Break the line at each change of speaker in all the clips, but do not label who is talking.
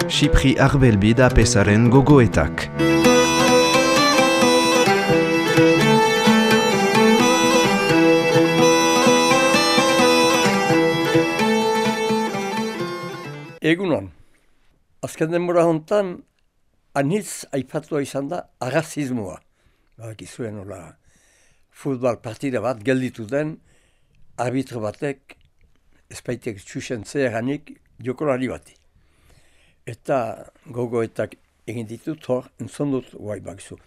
Xipri Arbelbi da pesaren gogoetak.
Egunon, azken denbora hontan anitz aipatua izan da arrazismoa. Bakizuen hola futbal partida bat gelditu den arbitro batek espaitek txusen zeheranik jokolari bati. Eta gogoetak egin ditut hor, entzon dut guai bakizu.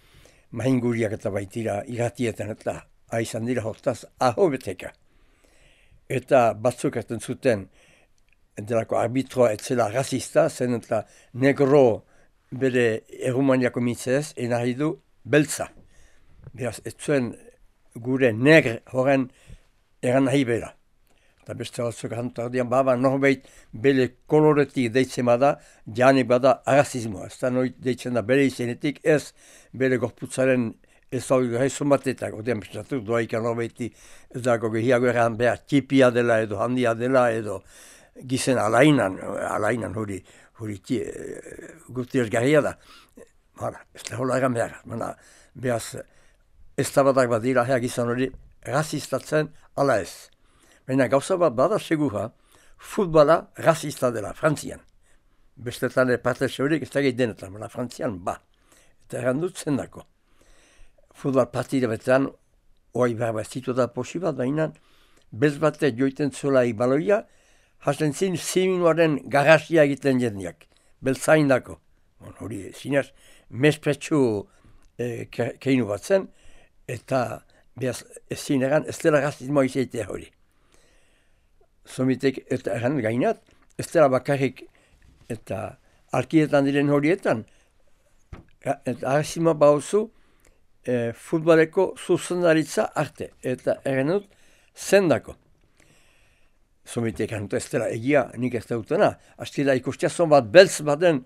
Mahinguriak eta baitira iratietan eta aizan dira hortaz aho beteka. Eta batzuk erten zuten delako arbitroa etzela rasista, zen eta negro bere Errumaniako mitzez, enari du beltza. Beraz, ez zuen gure negr horren eran nahi bera. Eta beste batzuk hantardian, baba norbait bere koloretik deitzen bada, janik bada arrazismoa. Ez da noit deitzen da bere izenetik, ez bere gorputzaren ez hau gaizun batetak. Odean bestatu, doaikan norbaiti ez dago gehiago eran behar txipia dela edo handia dela edo gizen alainan hori guzti garria da. Ez da hola egan behar. Behaz, ez da badak badira, gizan hori rasistatzen ala ez. Baina gauza bat bada segura, futbala rasista dela, Frantzian. Bestetan parte zeurik ez da gehi denetan, baina Frantzian ba. Eta errandut zendako. Futbal partida betean, oai behar bat zitu da posibat, baina bez bate joiten zolai baloia, hasten zin ziminuaren garrasia egiten jendiak, beltzain dako. Hori zinez, mespretsu keinu bat zen, eta behaz ezin egan, ez dela rasismoa izaitea hori. Somitek eta egan gainat, ez dela bakarrik eta alkietan diren horietan, eta rasismoa bauzu futboleko zuzendaritza arte, eta egan dut zendako. Somitek egan dut ez dela egia nik ez dutena, hastila ikustiazon bat beltz baden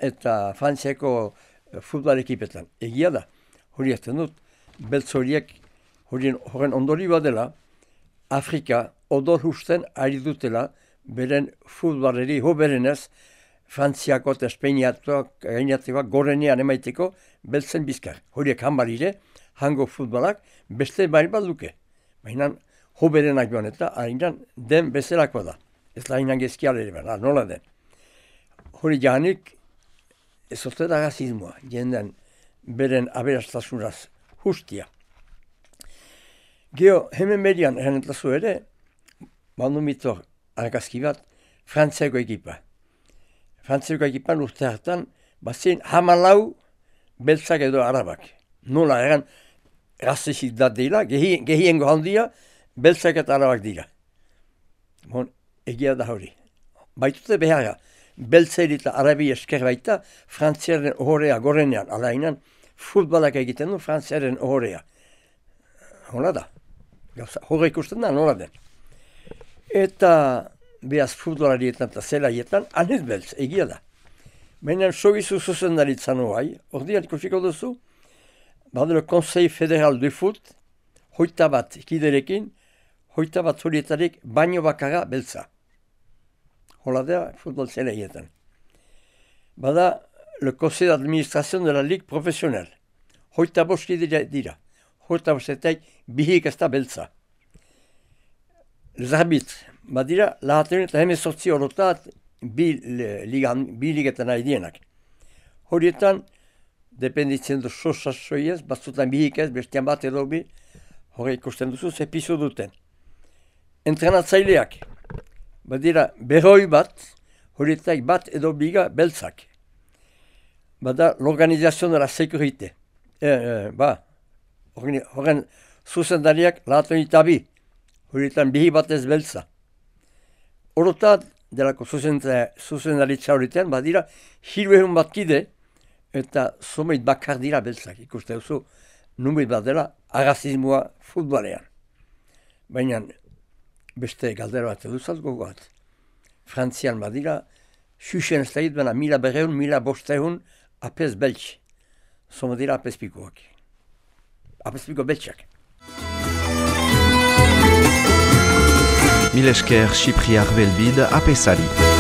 eta Frantziako futbol ekipetan. Egia da, hori ez dut, beltz horiek horren ondori badela, Afrika odol husten ari dutela beren futbaleri hoberenez Frantziako eta Espainiatuak gainatzeak gorenean emaiteko beltzen bizkar. Horiek hanbalire, hango futbolak beste bari bat duke. Baina hoberenak joan eta hainan den bezalako da. Ez da hainan gezkialere behar, nola den. Hori jahanik ez ote da rasismoa, jenden beren aberastasunaz justia. Geo, hemen median errenetlazu ere, bandu mitor argazki bat, Frantziako ekipa. Frantziako ekipan urte hartan, bazien 14 beltzak edo arabak. Nola eran rasistik da dira, gehiengo handia, beltzak eta arabak dira. Egia da hori. Baitute beharra, beltzairi eta arabi esker baita, Frantziaren ohorea gorenean, alainan, futbolak egiten du Frantziaren ohorea. Hola da. Horre ikusten da, nola den. Eta behaz futbolarietan eta zelaietan, anez beltz, egia da. Baina sogizu zuzendaritzan hoai, ordean ikusiko duzu, badelo Conseil Federal de Foot, 21 kiderekin, 21 horietarik baino bakarra beltza. Hola da, futbol zelaietan. Bada, le Conseil d'Administration de la Ligue Professionnelle. 25 kidera dira. 25 bihik ez da beltza. Les arbitres, badira, lahaten eta hemezortzi horotat bi ligetan nahi dienak. Horietan, dependitzen du sosasoiez, batzutan bihik ez, bestian bat edo bi, hori ikusten duzu, zepizu duten. Entrenatzaileak, badira, berroi bat, horietak bat edo biga beltzak. Bada, l'organisation de la sécurité. Horren zuzendariak lahaten eta bi, horietan bihi bat ez beltza. Orotat, delako zuzendaritza horietan, badira, 300 bat kide, eta zomeit bakar dira beltzak. Ikuste duzu, numeit bat dela, arrazismoa futbalean. Baina, beste galdera bat eduzat gogoat. Frantzian badira, xuxen ez da hit, baina 1200, 1500 apez beltz. Zoma dira apezpikoak. Apezpiko beltzak.
Milesker Xipriar Belbid apesari.